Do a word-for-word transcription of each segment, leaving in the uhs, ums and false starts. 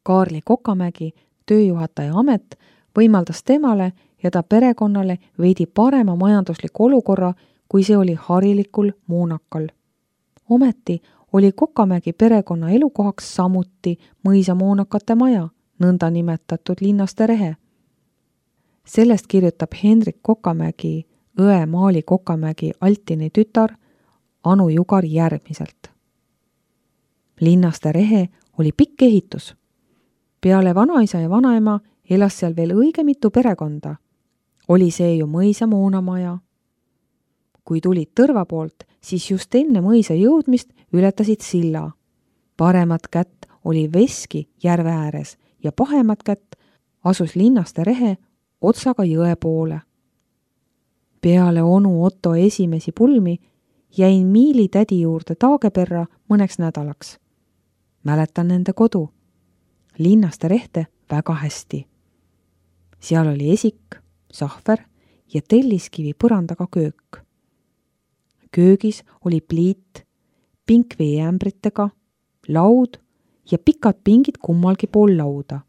Kaarli Kokamägi tööjuhataja amet võimaldas temale ja ta perekonnale veidi parema majandusliku olukorra, kui see oli harilikul Muunakal. Ometi oli Kokamägi perekonna elukohaks samuti mõisa Muunakate maja, nõnda nimetatud Linnaste Rehe. Sellest kirjutab Hendrik Kokamägi, õe Maali Kokamägi Altini tütar Anu Jugar järgmiselt. Linnaste Rehe oli pikk ehitus. Peale vanaisa ja vanaema elas seal veel õige mitu perekonda. Oli see ju mõisa Muunamaja. Kui tulid tõrva poolt, siis just enne mõisa jõudmist ületasid silla. Paremat kätt oli Veski järve ääres ja pahemat kätt asus Linnaste Rehe otsaga jõe poole. Peale onu Otto esimesi pulmi jäin Miili tädi juurde Taageperra mõneks nädalaks. Mäletan nende kodu. Linnaste Rehte väga hästi. Seal oli esik, sahver ja telliskivi põrandaga köök. Köögis oli pliit, pink veeämbritega, laud ja pikad pingid kummalgi pool lauda.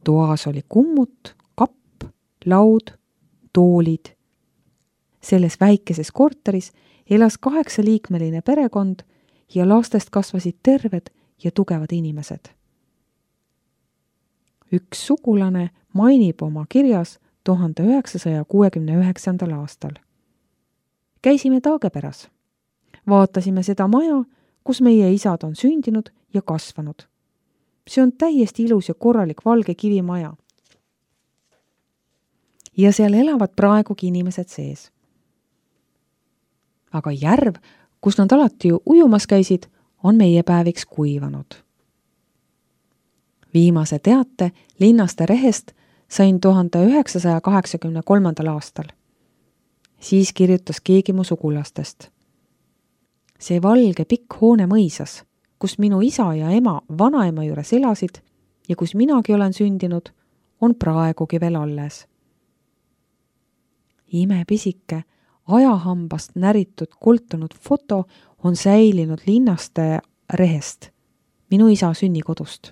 Toas oli kummut, kapp, laud, toolid. Selles väikeses korteris elas kaheksaliikmeline perekond ja lastest kasvasid terved ja tugevad inimesed. Üks sugulane mainib oma kirjas tuhande üheksasaja kuuekümne üheksandal aastal. Käisime Taageperas. Vaatasime seda maja, kus meie isad on sündinud ja kasvanud. See on täiesti ilus ja korralik valge kivimaja. Ja seal elavad praegugi inimesed sees. Aga järv, kus nad alati ujumas käisid, on meie päeviks kuivanud. Viimase teate Linnaste Rehest sain tuhande üheksasaja kaheksakümne kolmandal aastal. Siis kirjutas keegi mu sugulastest. See valge pikk hoone mõisas, kus minu isa ja ema vanaema juures elasid ja kus minagi olen sündinud, on praegugi veel alles. Imepisike, ajahambast näritud koltunud foto on säilinud Linnaste Rehest, minu isa sünnikodust.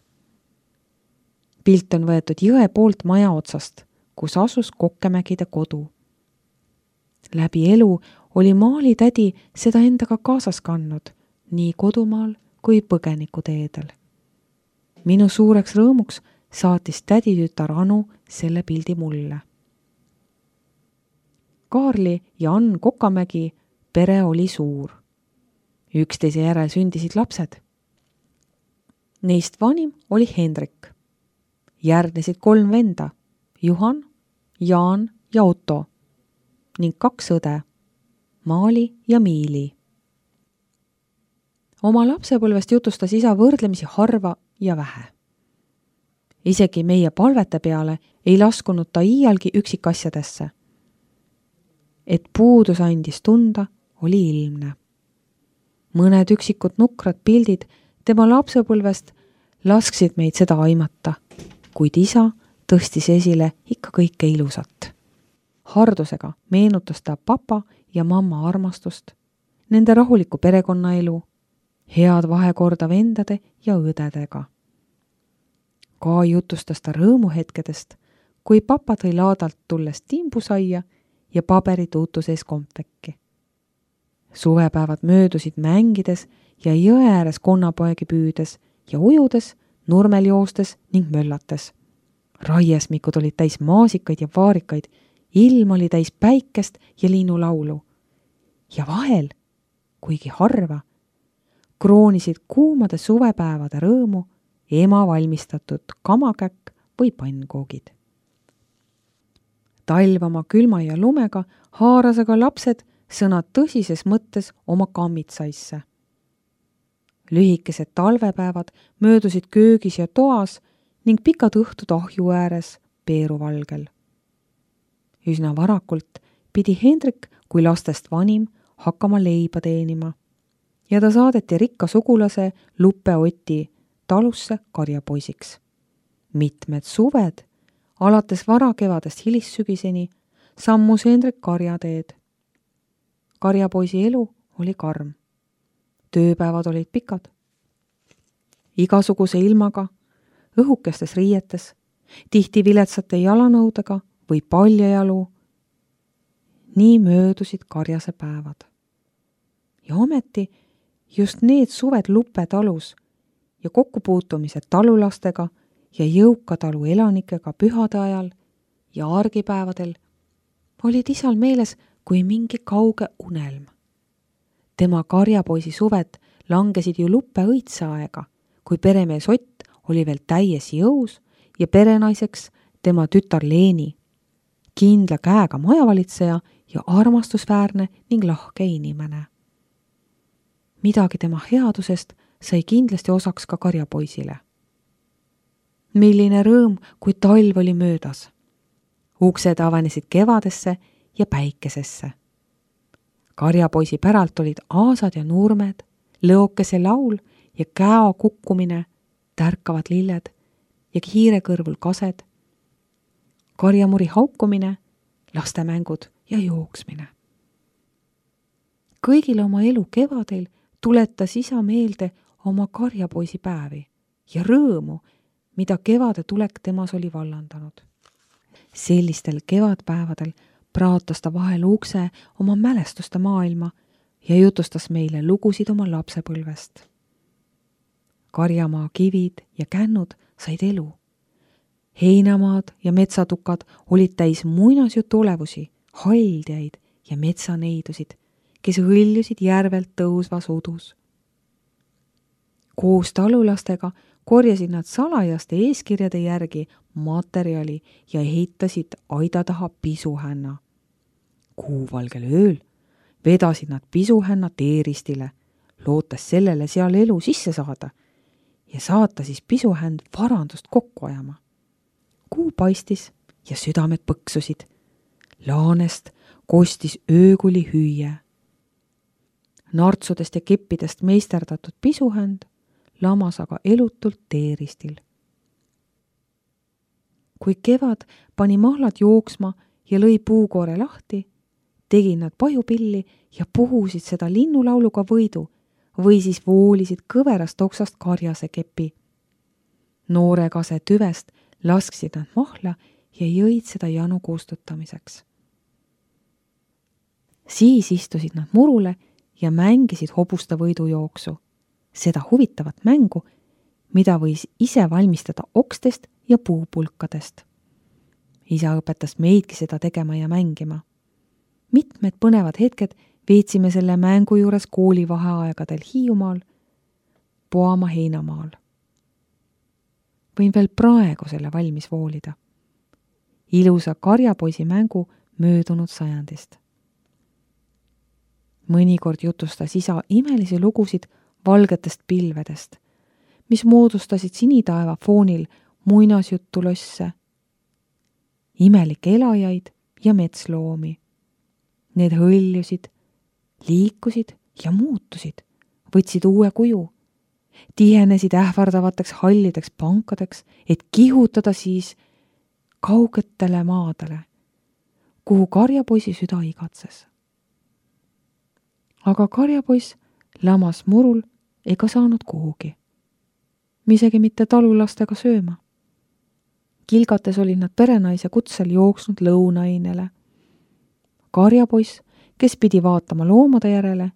Pilt on võetud jõe poolt maja otsast, kus asus Kokkemägide kodu. Läbi elu oli Maali tädi seda endaga kaasas kandnud, nii kodumaal kui põgenikuteedel. Minu suureks rõõmuks saatis tädi tütar Anu selle pildi mulle. Kaarli ja Ann Kokamägi pere oli suur. Üksteise järel sündisid lapsed. Neist vanim oli Hendrik. Järgnesid kolm venda, Juhan, Jaan ja Otto ning kaks õde, Maali ja Miili. Oma lapsepõlvest jutustas isa võrdlemisi harva ja vähe. Isegi meie palvete peale ei laskunud ta iialgi üksikasjadesse. Et puudus andis tunda, oli ilmne. Mõned üksikud nukrad pildid tema lapsepõlvest lasksid meid seda aimata, kuid isa tõstis esile ikka kõike ilusat. Hardusega meenutas ta papa ja mamma armastust, nende rahulikku perekonnaelu, head vahekorda vendade ja õdedega. Ka jutustas ta rõõmuhetkedest, kui papa tõi laadalt tulles timbusaia ja paberituutu sees kompvekki. Suvepäevad möödusid mängides ja jõe ääres konnapoegi püüdes ja ujudes, nurmel joostes ning möllates. Raiesmikud olid täis maasikaid ja vaarikaid, ilm oli täis päikest ja linnulaulu. Ja vahel, kuigi harva, kroonisid kuumade suvepäevade rõõmu ema valmistatud kamakäkk või pannkoogid. Talv oma külma ja lumega haaras aga lapsed sõnad tõsises mõttes oma kammitsaisse. Lühikesed talvepäevad möödusid köögis ja toas ning pikad õhtud ahju ääres peeruvalgel. Üsna varakult pidi Hendrik kui lastest vanim hakkama leiba teenima ja ta saadeti rikka sugulase Luppe Oti talusse karjapoisiks. Mitmed suved, alates varakevadest hilissügiseni, sammus Hendrik karjateed. Karjapoisi elu oli karm. Tööpäevad olid pikad. Igasuguse ilmaga õhukestes riietes, tihti viletsate jalanõudega või paljajalu. Nii möödusid Karjase päevad. Ja ometi just need suved Lupe talus ja kokkupuutumised talulastega ja jõuka talu elanikega pühade ajal ja argipäevadel olid isal meeles kui mingi kauge unelm. Tema karjapoisi suved langesid ju Luppe õitseaega, kui peremees Ott oli veel täies jõus ja perenaiseks tema tütar Leeni, kindla käega majavalitseja ja armastusväärne ning lahke inimene. Midagi tema headusest sai kindlasti osaks ka karjapoisile. Milline rõõm, kui talv oli möödas. Uksed avanesid kevadesse ja päikesesse. Karjapoisi päralt olid aasad ja nurmed, lõokese laul ja käo kukkumine, tärkavad lilled ja hiire kõrvul kased, karjamuri haukumine, lastemängud ja jooksmine. Kõigile oma elu kevadel tuletas isa meelde oma karjapoisi päevi ja rõõmu, mida kevade tulek temas oli vallandanud. Sellistel kevadpäevadel praatas ta vahel ukse oma mälestuste maailma ja jutustas meile lugusid oma lapsepõlvest. Karjamaa kivid ja kännud said elu. Heinamaad ja metsatukad olid täis muinasjutu olevusi, haldjaid ja metsaneidusid, kes hõljusid järvelt tõusvas udus. Koos talulastega korjasid nad salajaste eeskirjade järgi materjali ja ehitasid aida taha pisuhänna. Kuuvalgel ööl vedasid nad pisuhänna teeristile, lootes sellele seal elu sisse saada ja saata siis pisuhänd varandust kokku ajama. Kuu paistis ja südamed põksusid. Laanest kostis öökuli hüüe. Nartsudest ja keppidest meisterdatud pisuhänd lamas aga elutult teeristil. Kui kevad pani mahlad jooksma ja lõi puukoore lahti, tegid nad pajupilli ja puhusid seda linnulauluga võidu või siis voolisid kõverast oksast Karjase kepi. Noorekase tüvest lasksid nad mahla ja jõid seda janu kustutamiseks. Siis istusid nad murule ja mängisid hobuste võidujooksu, seda huvitavat mängu, mida võis ise valmistada okstest ja puupulkadest. Isa õpetas meidki seda tegema ja mängima. Mitmed põnevad hetked veetsime selle mängu juures koolivaheaegadel Hiiumaal, Poama heinamaal. Võin veel praegu selle valmis voolida. Ilusa karjapoisi mängu möödunud sajandist. Mõnikord jutustas isa imelisi lugusid valgetest pilvedest, mis moodustasid sinitaeva foonil muinasjuttulosse, imelikke elajaid ja metsloomi. Need hõljusid, liikusid ja muutusid, võtsid uue kuju, tihenesid ähvardavateks hallideks pankadeks, et kihutada siis kaugetele maadele, kuhu karjapoisi süda igatses. Aga karjapoiss lamas murul ega saanud kuhugi, isegi mitte talulastega sööma. Kilgates olid nad perenaise kutsel jooksnud lõunainele. Karjapoiss, kes pidi vaatama loomade järele,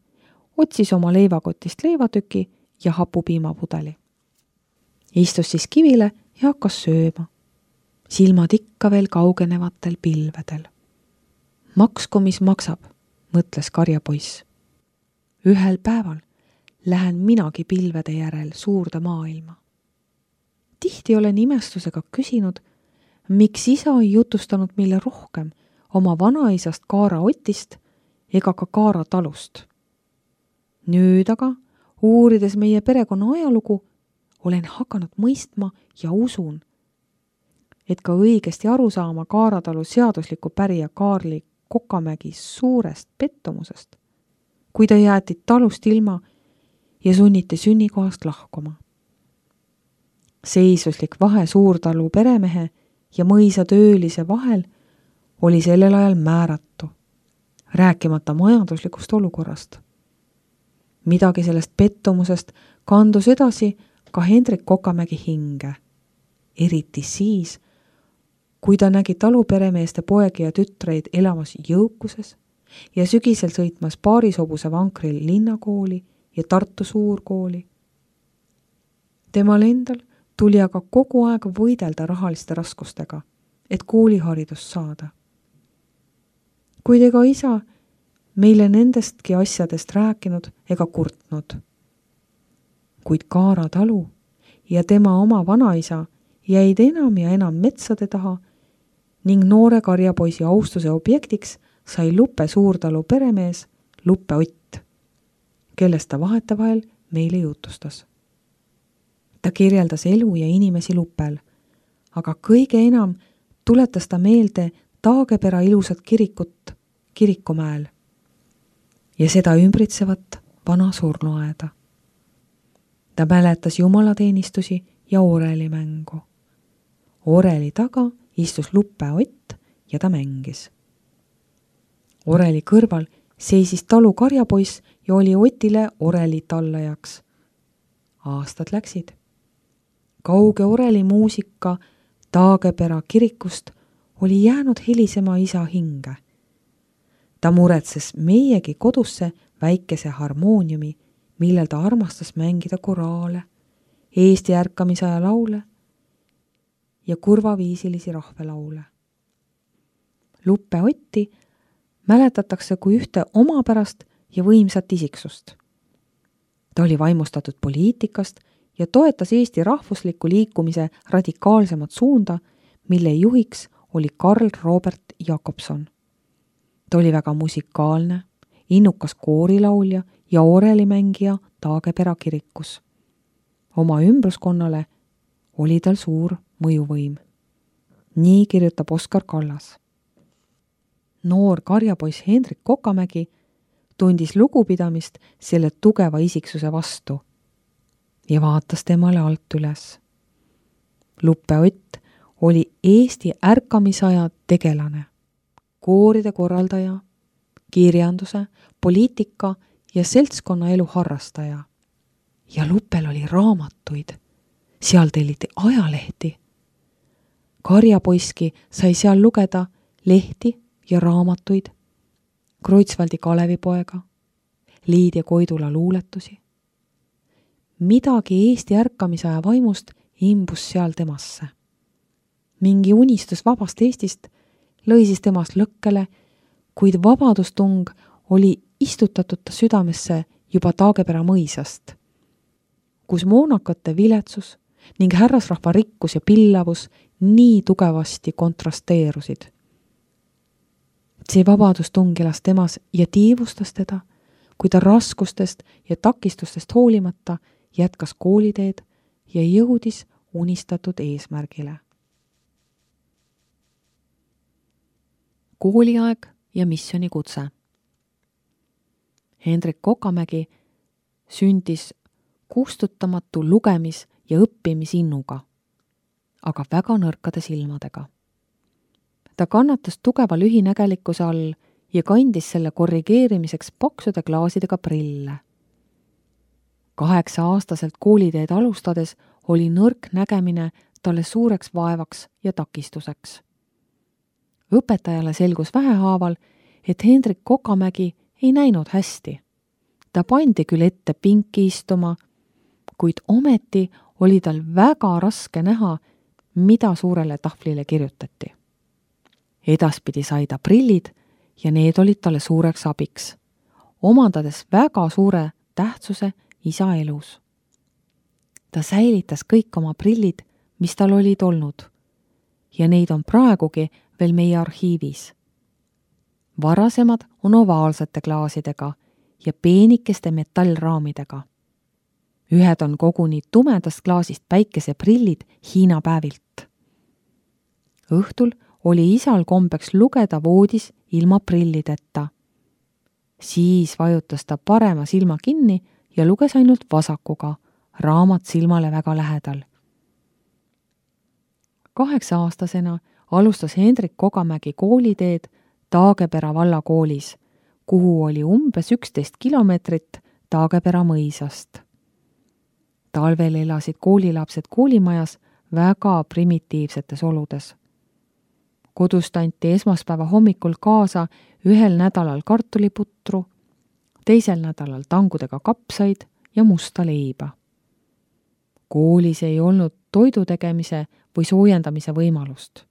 otsis oma leivakotist leivatüki ja hapupiimapudeli. Istus siis kivile ja hakkas sööma. Silmad ikka veel kaugenevatel pilvedel. Maksku, mis maksab, mõtles karjapoiss. Ühel päeval lähen minagi pilvede järel suurde maailma. Tihti olen imestusega küsinud, miks isa ei jutustanud meile rohkem oma vanaisast Kaara Otist ega ka Kaara talust. Nüüd aga, uurides meie perekonna ajalugu, olen hakanud mõistma ja usun, et ka õigesti aru saama Kaara talu seadusliku pärija Kaarli Kokamägi suurest pettumusest, kui ta jäeti talust ilma ja sunniti sünnikohast lahkuma. Seisuslik vahe suurtalu peremehe ja mõisa töölise vahel oli sellel ajal määratu, rääkimata majanduslikust olukorrast. Midagi sellest pettumusest kandus edasi ka Hendrik Kokamägi hinge. eriti siis, kui ta nägi taluperemeeste poegi ja tütreid elamas jõukuses ja sügisel sõitmas paarishobuse vankril linnakooli ja Tartu suurkooli. Temal endal tuli aga kogu aeg võidelda rahaliste raskustega, et kooliharidust saada. Kuid ega isa meile nendestki asjadest rääkinud ega kurtnud. Kuid Kaara talu ja tema oma vanaisa jäid enam ja enam metsade taha ning noore karjapoisi austuse objektiks sai Lupe suurtalu peremees Lupe Ott, kellest ta vahetevahel meile jutustas. Ta kirjeldas elu ja inimesi Lupel, aga kõige enam tuletas ta meelde Taagepera ilusat kirikut Kirikumäel ja seda ümbritsevat vana surnuaeda. Ta mäletas jumalateenistusi ja orelimängu. Oreli taga istus Lupe Ott ja ta mängis. Oreli kõrval seisis talu karjapoiss ja oli Otile oreli tallajaks. Aastad läksid. Kauge oreli muusika Taagepera kirikust oli jäänud helisema isa hinge. Ta muretses meiegi kodusse väikese harmooniumi, millel ta armastas mängida koraale, Eesti ärkamisaja laule ja kurvaviisilisi rahvelaule. Lupe Otti mäletatakse kui ühte omapärast ja võimsat isiksust. Ta oli vaimustatud poliitikast ja toetas Eesti rahvusliku liikumise radikaalsemat suunda, mille juhiks oli Karl Robert Jakobson. Ta oli väga musikaalne, innukas koorilaulja ja orelimängija Taagepera kirikus. Oma ümbruskonnale oli tal suur mõjuvõim. Nii kirjutab Oskar Kallas. Noor karjapoiss Hendrik Kokamägi tundis lugupidamist selle tugeva isiksuse vastu ja vaatas temale alt üles. Lupe Ott oli Eesti ärkamisaja tegelane, kooride korraldaja, kirjanduse, poliitika ja seltskonnaelu harrastaja. Ja Lupel oli raamatuid, seal telliti ajalehti. Karjapoiski sai seal lugeda lehti ja raamatuid, Kreutzwaldi Kalevipoega, Liidia Koidula luuletusi. Midagi Eesti ärkamisaja vaimust imbus seal temasse. Mingi unistus vabast Eestist lõi siis temast lõkkele, kuid vabadustung oli istutatud ta südamesse juba Taagepera mõisast, kus moonakate viletsus ning härrasrahva rikkus ja pillavus nii tugevasti kontrasteerusid. See vabadustung elas temas ja tiivustas teda, kui ta raskustest ja takistustest hoolimata jätkas kooliteed ja jõudis unistatud eesmärgile. Kooliaeg ja missionikutse. Hendrik Kokamägi sündis kustutamatu lugemis- ja õppimisinnuga, aga väga nõrkade silmadega. Ta kannatas tugeva lühinägelikkuse all ja kandis selle korrigeerimiseks paksude klaasidega prille. Kaheksa aastaselt kooliteed alustades oli nõrk nägemine talle suureks vaevaks ja takistuseks. Õpetajale selgus vähehaaval, et Hendrik Kokamägi ei näinud hästi. Ta pandi küll ette pinki istuma, kuid ometi oli tal väga raske näha, mida suurele tahvlile kirjutati. Edaspidi sai ta prillid ja need olid talle suureks abiks, omandades väga suure tähtsuse isa elus. Ta säilitas kõik oma prillid, mis tal olid olnud, ja neid on praegugi veel meie arhiivis. Varasemad on ovaalsete klaasidega ja peenikeste metallraamidega. Ühed on koguni tumedast klaasist päikeseprillid Hiina päevilt. Õhtul oli isal kombeks lugeda voodis ilma prillideta. Siis vajutas ta parema silma kinni ja luges ainult vasakuga, raamat silmale väga lähedal. Kaheksa aastasena alustas Hendrik Kokamägi kooliteed Taagepera vallakoolis, kuhu oli umbes üksteist kilomeetrit Taagepera mõisast. Talvel elasid koolilapsed koolimajas väga primitiivsetes oludes. Kodust anti esmaspäeva hommikul kaasa ühel nädalal kartuliputru, teisel nädalal tangudega kapsaid ja musta leiba. Koolis ei olnud toidu tegemise või soojendamise võimalust.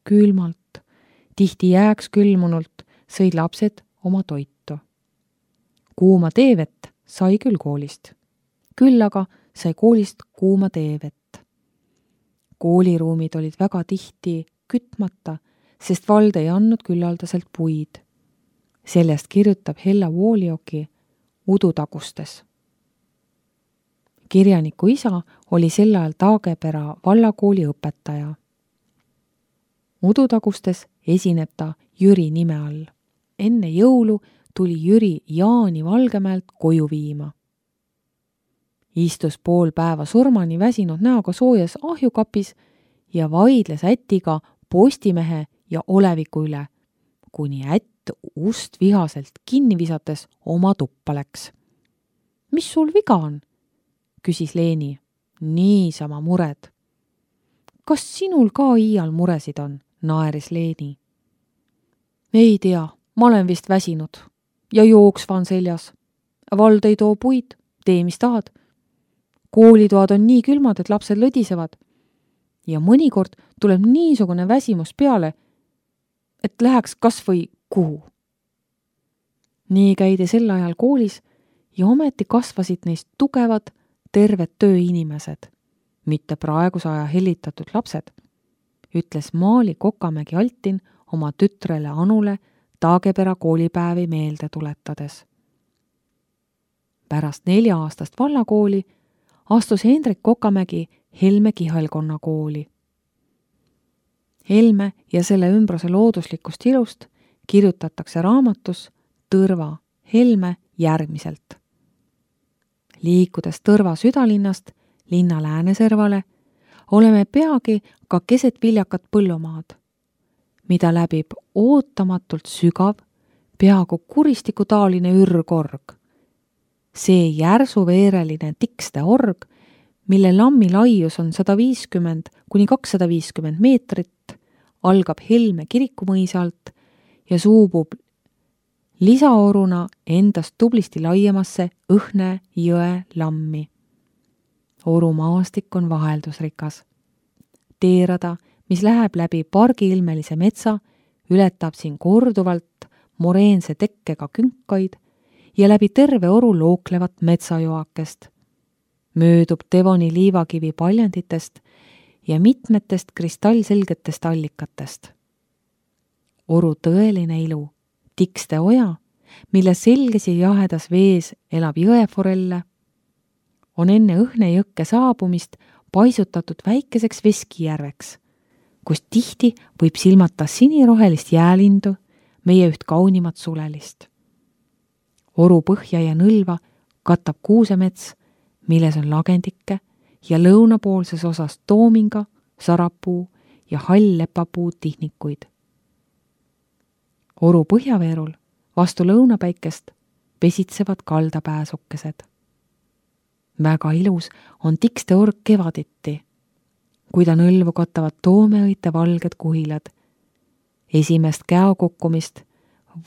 Külmalt, tihti jääks külmunult, sõid lapsed oma toitu. Kuuma teevett sai küll koolist. Küll aga sai koolist kuuma teevett. Kooliruumid olid väga tihti kütmata, sest vald ei andnud küllaldaselt puid. Sellest kirjutab Hella Woolioki Udutagustes. Kirjaniku isa oli sel ajal Taagepera vallakooli õpetaja. Udutagustes esineb ta Jüri nime all. Enne jõulu tuli Jüri Jaani Valgemäelt koju viima. Istus pool päeva surmani väsinud näoga soojas ahjukapis ja vaidles ätiga Postimehe ja Oleviku üle, kuni ätt ust vihaselt kinni visates oma tuppa läks. Mis sul viga on? Küsis Leeni. Niisama mured. Kas sinul ka iial muresid on? Naeris Leeni. Ei tea, ma olen vist väsinud ja jooksva on seljas. Vald ei too puid, tee mis tahad. Koolitoad on nii külmad, et lapsed lõdisevad. Ja mõnikord tuleb niisugune väsimus peale, et läheks kas või kuhu. Nii käidi sel ajal koolis ja ometi kasvasid neist tugevad, terved tööinimesed, mitte praeguse aja hellitatud lapsed, ütles Maali Kokamägi Altin oma tütrele Anule Taagepera koolipäevi meelde tuletades. Pärast nelja aastast vallakooli astus Hendrik Kokamägi Helme Kihalkonna kooli. Helme ja selle ümbruse looduslikust ilust kirjutatakse raamatus Tõrva Helme järgmiselt. Liikudes Tõrva südalinnast linna lääneservale, oleme peagi ka keset viljakat põllumaad, mida läbib ootamatult sügav, peaaegu kuristikutaaline ürgorg. See järsuveereline tikste org, mille lammi laius on sada viiskümmend kuni kakssada viiskümmend meetrit, algab Helme kirikumõisa alt ja suubub lisaoruna endast tublisti laiemasse Õhne jõe lammi. Oru maastik on vaheldusrikas. Teerada, mis läheb läbi pargiilmelise metsa, ületab siin korduvalt moreense tekkega künkaid ja läbi terve oru looklevat metsajoakest. Möödub Devoni liivakivi paljanditest ja mitmetest kristallselgetest allikatest. Oru tõeline ilu, tikste oja, mille selges ja jahedas vees elab jõeforelle, on enne Õhne jõkke saabumist paisutatud väikeseks veskijärveks, kus tihti võib silmata sinirohelist jäälindu, meie üht kaunimat sulelist. Oru põhja ja nõlva katab kuusemets, milles on lagendikke ja lõunapoolses osas toominga, sarapuu ja hall lepapuu tihnikuid. Oru põhjaveerul vastu lõunapäikest pesitsevad kaldapääsukesed. Väga ilus on tikste org kevaditi, kui ta nõlvu katavad toomeõite valged kuhilad. Esimest käokukkumist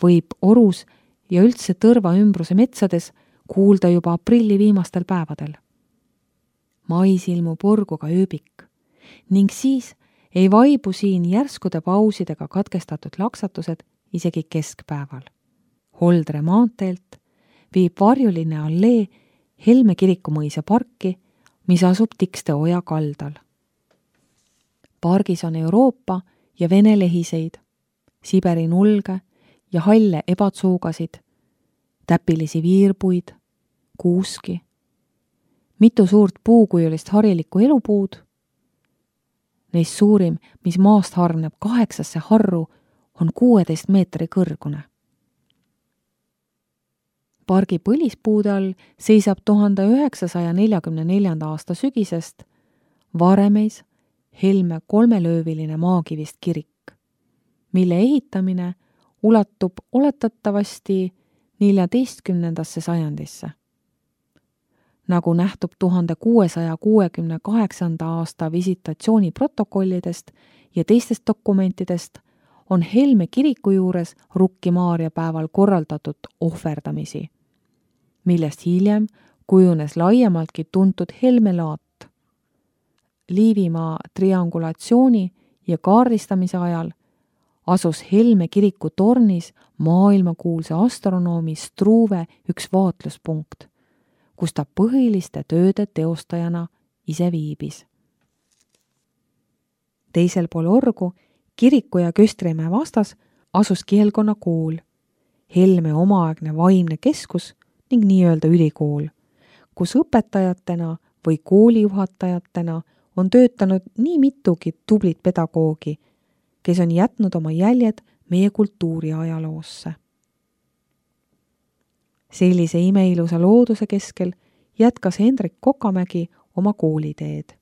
võib orus ja üldse Tõrva ümbruse metsades kuulda juba aprilli viimastel päevadel. Mais ilmub orguga ööbik ning siis ei vaibu siin järskude pausidega katkestatud laksatused isegi keskpäeval. Holdre maanteelt viib varjuline allee Helme kirikumõisa parki, mis asub Tikste oja kaldal. Pargis on Euroopa ja Vene lehiseid, Siberi nulge ja halle ebatsuugasid, täpilisi viirpuid, kuuski, mitu suurt puukujulist harilikku elupuud. Neist suurim, mis maast hargneb kaheksasse harru, on kuueteist meetri kõrgune. Pargi põlispuude all seisab tuhande üheksasaja neljakümne neljanda aasta sügisest Varemeis Helme kolmelööviline maakivist kirik, mille ehitamine ulatub oletatavasti neljateistkümnendasse sajandisse. nagu nähtub tuhande kuuesaja kuuekümne kaheksanda aasta visitatsiooniprotokollidest ja teistest dokumentidest, on Helme kiriku juures Rukki Maarja päeval korraldatud ohverdamisi, millest hiljem kujunes laiemaltki tuntud Helme laat. Liivimaa triangulatsiooni ja kaardistamise ajal asus Helme kiriku tornis maailmakuulsa astronoomi Struve üks vaatluspunkt, kus ta põhiliste tööde teostajana ise viibis. Teisel pool orgu, kiriku ja Köstrimäe vastas, asus kihelkonna kool, Helme omaaegne vaimne keskus ning nii-öelda ülikool, kus õpetajatena või koolijuhatajatena on töötanud nii mitugi tublit pedagoogi, kes on jätnud oma jäljed meie kultuuri ajaloosse. Sellise imeilusa looduse keskel jätkas Hendrik Kokamägi oma kooliteed.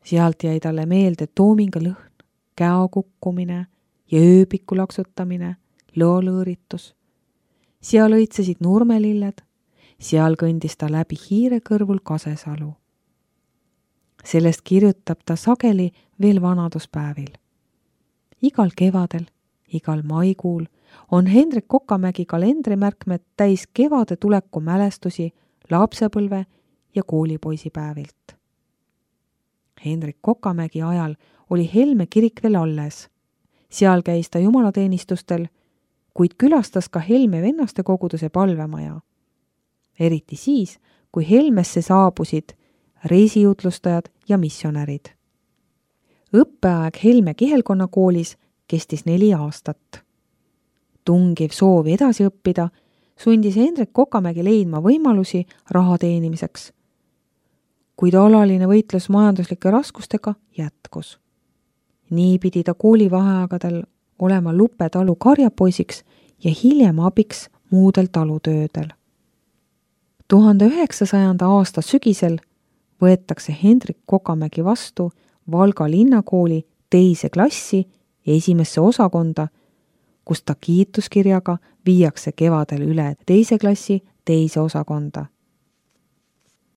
Sealt jäi talle meelde toominga lõhn, käo kukkumine ja ööpiku laksutamine, lõolõõritus. Seal õitsesid nurmelilled, seal kõndis ta läbi Hiire kõrvul Kasesalu. Sellest kirjutab ta sageli veel vanaduspäevil. Igal kevadel, igal maikuul on Hendrik Kokamägi kalendrimärkmed täis kevade tuleku mälestusi lapsepõlve ja koolipoisipäevilt. Hendrik Kokamägi ajal oli Helme kirik veel alles. Seal käis ta jumalateenistustel, kuid külastas ka Helme vennaste koguduse palvemaja. Eriti siis, kui Helmesse saabusid reisijutlustajad ja missionärid. Õppeaeg Helme kihelkonnakoolis kestis neli aastat. Tungiv soov edasi õppida sundis Hendrik Kokamägi leidma võimalusi raha teenimiseks, kuid alaline võitlus majanduslike raskustega jätkus. Nii pidi ta koolivaheaegadel olema Lupe talu karjapoisiks ja hiljem abiks muudel talutöödel. tuhande üheksasajanda aasta sügisel võetakse Hendrik Kokamägi vastu Valga linnakooli teise klassi esimesse osakonda, kus ta kiituskirjaga viiakse kevadel üle teise klassi teise osakonda